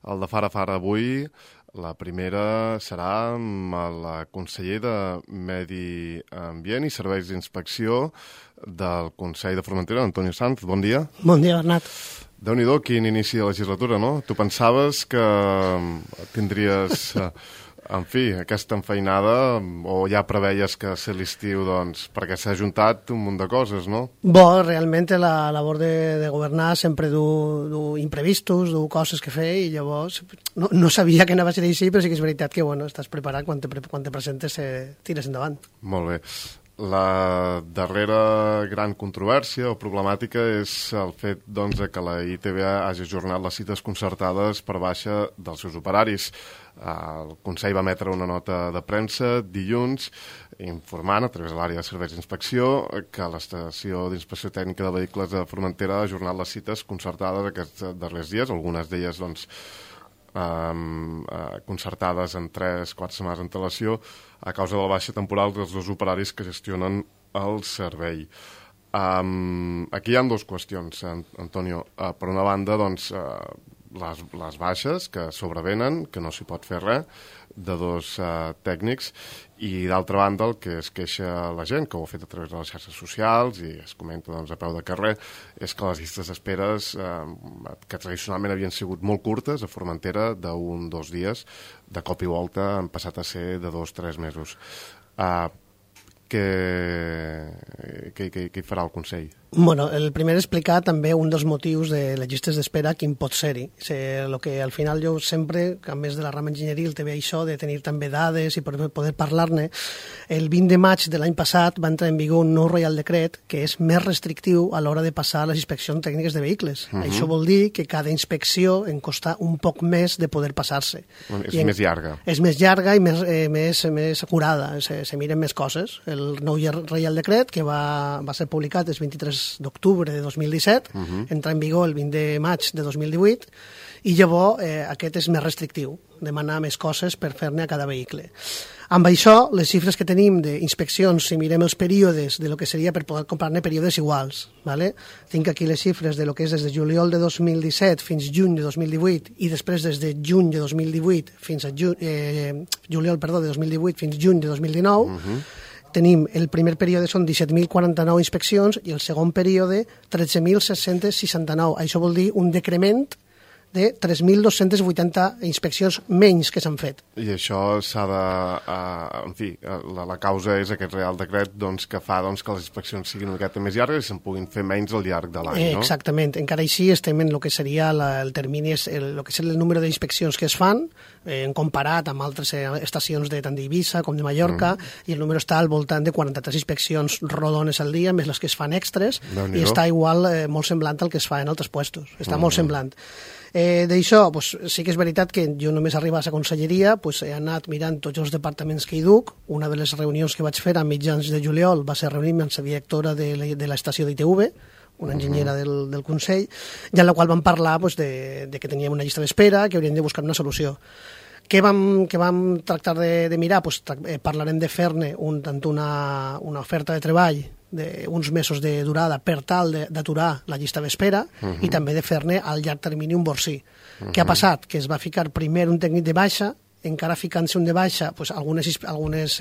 el de Fara Fara avui. La primera serà amb el conseller de Medi Ambient i Serveis d'Inspecció del Consell de Formentera, Antonio Sanz. Bon dia. Bon dia, Bernat. Déu-n'hi-do, quin inici de legislatura, no? Tu pensaves que tindries, en fi, aquesta enfeinada, o ja preveies que ser l'estiu, doncs, perquè s'ha juntat un munt de coses, no? Bo, realment la labor de governar sempre du imprevistos, du coses que fer, i llavors no sabia que anava a ser així, però sí que és veritat que, bueno, estàs preparat quan te presentes, tires endavant. Molt bé. La darrera gran controvèrsia o problemàtica és el fet, doncs, que la ITV hagi ajornat les cites concertades per baixa dels seus operaris. El Consell va emetre una nota de premsa dilluns informant a través de l'àrea de serveis d'inspecció que l'estació d'inspecció tècnica de vehicles de Formentera ha ajornat les cites concertades aquests darrers dies, algunes d'elles, doncs, concertades en 3-4 setmanes d'antelació a causa de la baixa temporal dels dos operaris que gestionen el servei. Aquí hi ha dues qüestions, Antonio. Per una banda, doncs, les baixes que sobrevenen, que no s'hi pot fer res, de dos tècnics, i d'altra banda el que es queixa la gent, que ho ha fet a través de les xarxes socials i es comenta, doncs, a peu de carrer, és que les llistes d'esperes, que tradicionalment havien sigut molt curtes a Formentera, d'un o 2 dies, de cop i volta han passat a ser de 2-3 mesos. Què farà el Consell? Bueno, el primer és explicar també un dels motius de les llistes d'espera, quin pot ser-hi. El que al final jo sempre, a més de la rama enginyeria, té això de tenir també dades i poder parlar-ne. El 20 de maig de l'any passat va entrar en vigor un nou Reial Decret que és més restrictiu a l'hora de passar les inspeccions tècniques de vehicles. Això vol dir que cada inspecció en costa un poc més de poder passar-se. És més llarga. És més llarga i més acurada, se miren més coses. El nou Reial Decret, que va ser publicat el 23 d'octubre de 2017, entra en vigor el 20 de maig de 2018, i llavors aquest és més restrictiu, demanar més coses per fer-ne a cada vehicle. Amb això, les xifres que tenim d'inspeccions, si mirem els períodes de lo que seria per poder comprar-ne períodes iguals, ¿vale? Tinc aquí les xifres de lo que és des de juliol de 2017 fins juny de 2018 i després des de juny de 2018 fins a juliol de 2018 fins juny de 2019, tenim el primer període són 17.049 inspeccions i el segon període 13.769. Això vol dir un decrement de 3.280 inspeccions menys que s'han fet. I això s'ha de... en fi, la causa és aquest Real Decret, doncs, que fa, doncs, que les inspeccions siguin una miqueta més llargues i se'n puguin fer menys al llarg de l'any, no? Exactament. Encara així estem en el que seria el termini, el que és el número d'inspeccions que es fan, comparat amb altres estacions tant d'Eivissa com de Mallorca, i el número està al voltant de 43 inspeccions rodones al dia, més les que es fan extres, i està igual, molt semblant al que es fa en altres puestos. Està molt semblant. D'això, sí que és veritat que jo només arribar a la conselleria he anat mirant tots els departaments que hi duc. Una de les reunions que vaig fer a mitjans de juliol va ser reunir-me amb la directora de l'estació d'ITV, una enginyera del Consell, i en la qual vam parlar de que teníem una llista d'espera, que hauríem de buscar una solució. Què vam tractar de mirar? Parlarem de fer-ne tant una oferta de treball d'uns mesos de durada per tal d'aturar la llista d'espera i també de fer-ne al llarg termini un borsí. Què ha passat? Que es va ficar primer un tècnic de baixa, encara ficant-se un de baixa, algunes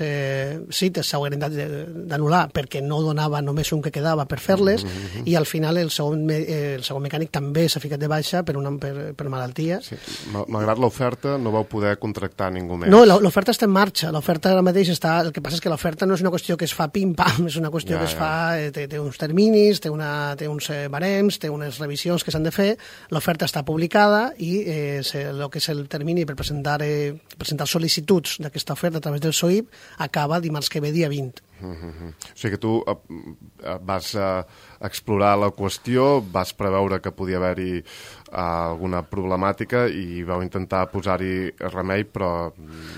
cites s'haurien d'anul·lar perquè no donava només un que quedava per fer-les, i al final el segon mecànic també s'ha ficat de baixa per malaltia. Sí. Malgrat l'oferta no vau poder contractar ningú més. No, l'oferta està en marxa, l'oferta ara mateix està... El que passa és que l'oferta no és una qüestió que es fa pim-pam, és una qüestió que es fa... Té uns terminis, té uns barems, té unes revisions que s'han de fer, l'oferta està publicada i el que és el termini per presentar sol·licituds d'aquesta oferta a través del SOIP acaba dimarts que ve, dia 20. O sigui que tu vas explorar la qüestió, vas preveure que podia haver-hi alguna problemàtica i vau intentar posar-hi remei, però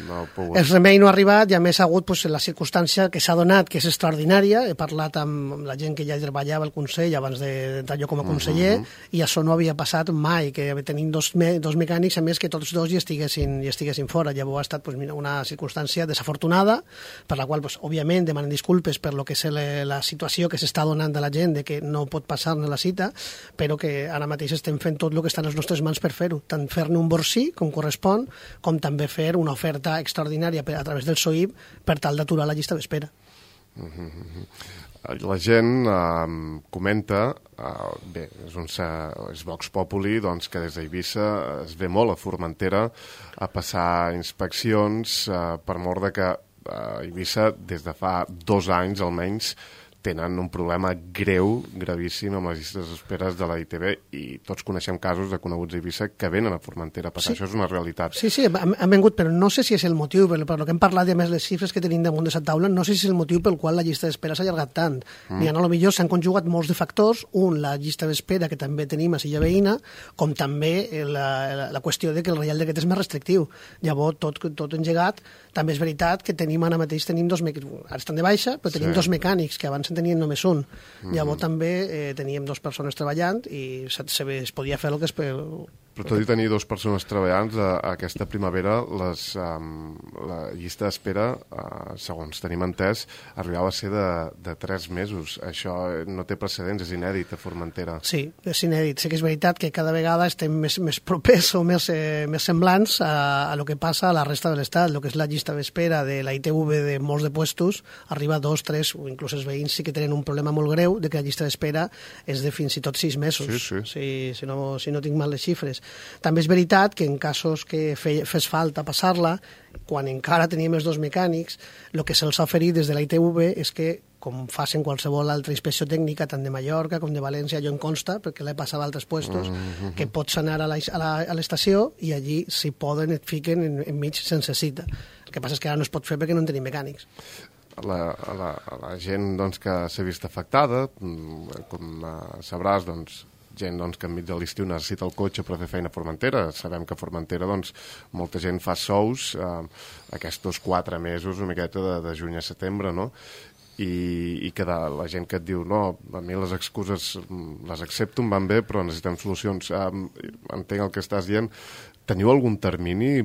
no heu pogut. El remei no ha arribat i a més ha hagut la circumstància que s'ha donat, que és extraordinària. He parlat amb la gent que ja treballava al Consell abans d'entrar jo com a conseller i això no havia passat mai, que tenim dos mecànics, a més que tots dos hi estiguessin fora. Llavors ha estat una circumstància desafortunada, per la qual, òbviament, demanem disculpes per lo que és la situació que s'està donant de la gent, de que no pot passar-ne la cita, però que ara mateix estem fent tot el el que està en les nostres mans per fer-ho, tant fer-ne un borsí, com correspon, com també fer una oferta extraordinària a través del SOIB per tal d'aturar la llista d'espera. La gent comenta, bé, és Vox Populi, doncs, que des d'Eivissa es ve molt a Formentera a passar inspeccions per mort de que a Eivissa des de fa 2 anys almenys tenen un problema greu, gravíssim, amb les llistes d'espera de la ITV, i tots coneixem casos de coneguts a Eivissa que venen a Formentera a passar. Sí. Això és una realitat. Sí, han vengut, però no sé si és el motiu, per el que hem parlat, i a més les xifres que tenim damunt de la taula, no sé si és el motiu pel qual la llista d'espera s'ha allargat tant. Ni a lo millor s'han conjugat molts de factors, la llista d'espera que també tenim a Silla Veïna, com també la qüestió de que el Reial Decret és més restrictiu. Llavors, tot engegat, també és veritat que tenim ara mateix, ara estan de baixa, però tenim 2 mecànics, que abans en tenien només un. Llavors també teníem 2 persones treballant i es podia fer el que es... Però tot i tenir 2 persones treballant, aquesta primavera la llista d'espera, segons tenim entès, arribava a ser de 3 mesos. Això no té precedents, és inèdit a Formentera. Sí, és inèdit. Sí que és veritat que cada vegada estem més propers o més semblants a lo que passa a la resta de l'Estat. El que és la llista d'espera de la ITV de molts de puestos arriba a 2, 3, o inclús els veïns sí que tenen un problema molt greu de que la llista d'espera és de fins i tot 6 mesos. Sí. Si no tinc mal les xifres. També és veritat que en casos que fes falta passar-la, quan encara teníem els 2 mecànics, el que se'ls ha oferit des de la ITV és que, com facin qualsevol altra inspecció tècnica, tant de Mallorca com de València, jo em consta, perquè l'he passat a altres puestos, que pots anar a l'estació i allí, si poden, et fiquen enmig sense cita. El que passa és que ara no es pot fer perquè no en tenim mecànics. La gent doncs, que s'ha vist afectada, com sabràs, doncs, gent que enmig de l'estiu necessita el cotxe per fer feina a Formentera. Sabem que a Formentera molta gent fa sous aquests 4 mesos, una miqueta de juny a setembre, no? I que la gent que et diu no, a mi les excuses les accepto, em van bé, però necessitem solucions. Entenc el que estàs dient. Teniu algun termini,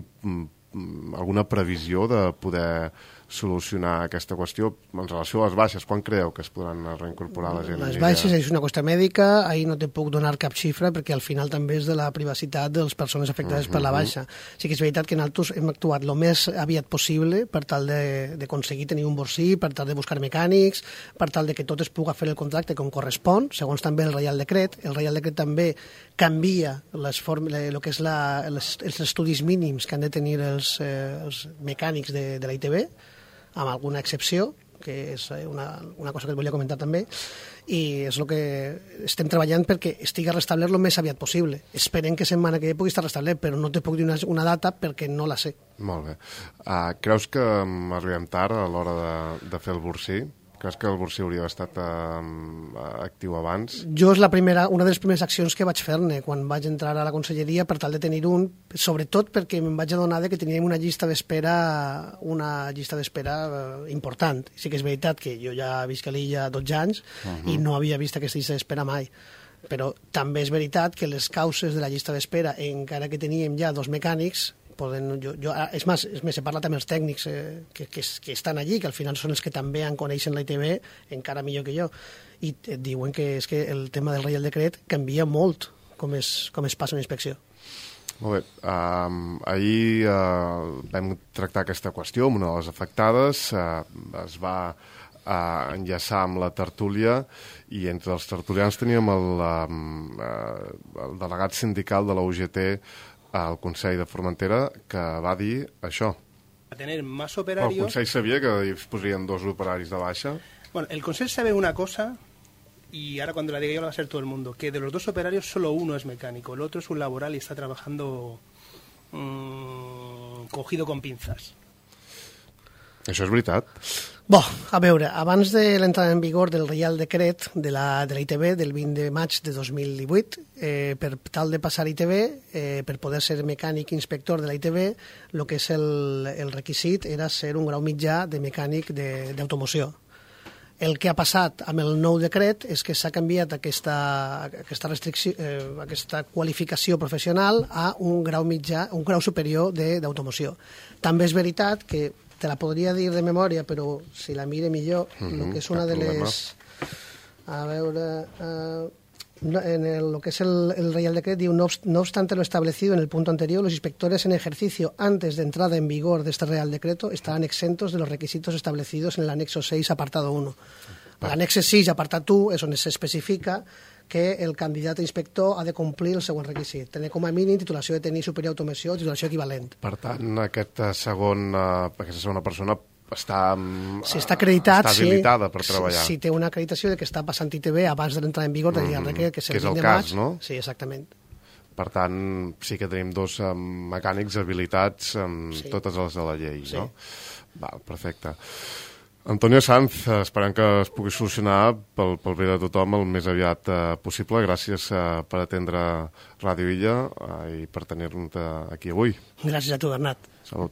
alguna previsió de poder solucionar aquesta qüestió en relació a les baixes? Quan creieu que es podran reincorporar la gent? Les baixes és una qüestió mèdica, ahir no te puc donar cap xifra perquè al final també és de la privacitat de les persones afectades per la baixa. Sí que és veritat que nosaltres hem actuat el més aviat possible per tal d'aconseguir tenir un borsí, per tal de buscar mecànics, per tal de que tot es pugui fer el contracte com correspon, segons també el Reial Decret. El Reial Decret també canvia el que és els estudis mínims que han de tenir els mecànics de la ITV, amb alguna excepció, que és una cosa que et volia comentar també, i és el que estem treballant perquè estigui restablert el més aviat possible. Esperem que setmana que pugui estar restablert, però no te puc dir una data perquè no la sé. Molt bé. Creus que arribem tard a l'hora de fer el borsí? Creus que el borsí hauria d'estar actiu abans? Jo és una de les primeres accions que vaig fer-ne quan vaig entrar a la conselleria per tal de tenir un, sobretot perquè em vaig adonar que teníem una llista d'espera important. Sí que és veritat que jo ja visc a l'illa 12 anys i no havia vist aquesta llista d'espera mai. Però també és veritat que les causes de la llista d'espera, encara que teníem ja 2 mecànics, és més, he parlat amb els tècnics que estan allí, que al final són els que també coneixen la ITV encara millor que jo, i et diuen que és que el tema del Reial Decret canvia molt com es passa una inspecció. Molt bé. Ahir vam tractar aquesta qüestió amb una de les afectades, es va enllaçar amb la tertúlia i entre els tertulians teníem el delegat sindical de la UGT al Consell de Formentera, que va dir això. A tener más operarios... El Consell sabia que es posarien 2 operaris de baixa? Bueno, el Consell sabe una cosa, y ahora cuando la diga yo la va a saber todo el mundo, que de los 2 operarios solo uno es mecánico, el otro es un laboral y está trabajando cogido con pinzas. Això és veritat? Bo, a veure, abans de l'entrada en vigor del Reial Decret de la ITV del 20 de maig de 2018, per tal de passar a ITV, per poder ser mecànic inspector de la ITV, el que és el requisit era ser un grau mitjà de mecànic d'automoció. El que ha passat amb el nou decret és que s'ha canviat aquesta restricció, aquesta qualificació professional a un grau mitjà, un grau superior d'automoció. També és veritat que te la podria dir de memòria, però si la mire millor, el que és una de les... A veure... lo que es el Real Decreto, diu, no obstante lo establecido en el punto anterior, los inspectores en ejercicio antes de entrada en vigor de este Real Decreto estarán exentos de los requisitos establecidos en el anexo 6, apartado 1. L'annex 6, apartat 1, és on s'especifica que el candidat a inspector ha de complir el següent requisit, tenir com a mínim titulació de tècnic superior d'automoció o titulació equivalent. Per tant, aquesta segona persona està acreditat, està habilitada per treballar. Si té una acreditació de que està passant ITV abans de l'entrada en vigor del decret, que és el 20 de maig. No? Sí, exactament. Per tant, sí que tenim dos mecànics habilitats amb totes les de la llei, no? Val, perfecte. Antonio Sanz, esperem que es pugui solucionar pel bé de tothom el més aviat possible. Gràcies per atendre Ràdio Illa i per tenir-nos aquí avui. Gràcies a tu, Bernat. Salut.